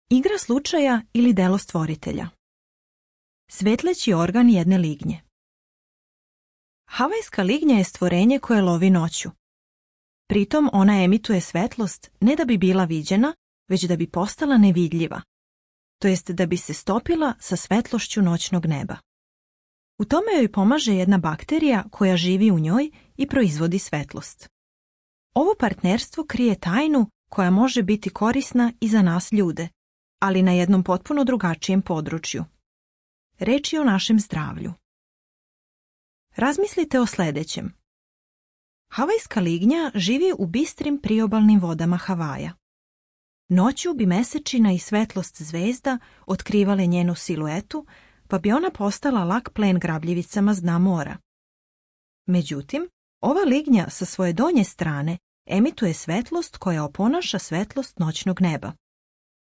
Igra slučaja ili delo stvoritelja. Svetleći organ jedne lignje. Havajska lignja je stvorenje koje lovi noću. Pritom ona emituje svetlost ne da bi bila viđena, već da bi postala nevidljiva, to jest da bi se stopila sa svetlošću noćnog neba. U tome joj pomaže jedna bakterija koja živi u njoj i proizvodi svetlost. Ovo partnerstvo krije tajnu koja može biti korisna i za nas ljude, ali na jednom potpuno drugačijem području. Reč je o našem zdravlju. Razmislite o sljedećem. Havajska lignja živi u bistrim priobalnim vodama Havaja. Noću bi mesečina i svetlost zvezda otkrivale njenu siluetu, pa bi ona postala lak plen grabljivicama s dna mora. Međutim, ova lignja sa svoje donje strane emituje svetlost koja oponaša svetlost noćnog neba.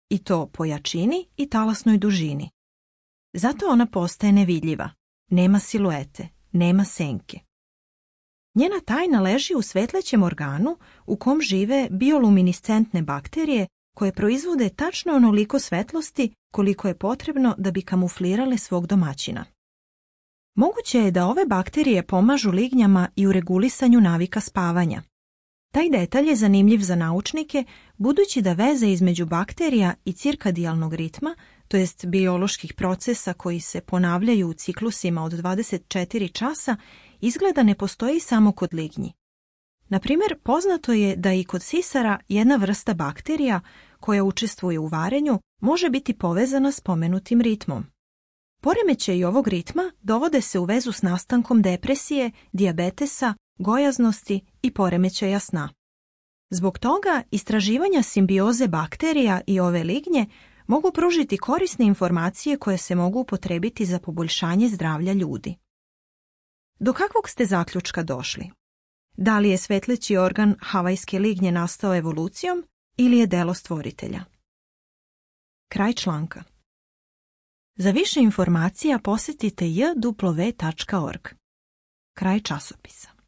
I to po jačini i talasnoj dužini. Zato ona postaje nevidljiva, nema siluete, nema senke. Njena tajna leži u svetlećem organu u kom žive bioluminiscentne bakterije koje proizvode tačno onoliko svetlosti koliko je potrebno da bi kamuflirale svog domaćina. Moguće je da ove bakterije pomažu lignjama i u regulisanju navika spavanja. Taj detalj je zanimljiv za naučnike budući da veze između bakterija i cirkadijalnog ritma, to jest bioloških procesa koji se ponavljaju u ciklusima od 24 časa, izgleda ne postoji samo kod lignji. Na primjer, poznato je da i kod sisara jedna vrsta bakterija koja učestvuje u varenju može biti povezana s pomenutim ritmom. Poremećaji ovog ritma dovode se u vezu s nastankom depresije, dijabetesa, gojaznosti i poremećaja sna. Zbog toga istraživanja simbioze bakterija i ove lignje mogu pružiti korisne informacije koje se mogu upotrebiti za poboljšanje zdravlja ljudi. Do kakvog ste zaključka došli? Da li je svetleći organ havajske lignje nastao evolucijom ili je delo stvoritelja? Kraj članka. Za više informacija posjetite jw.org. Kraj časopisa.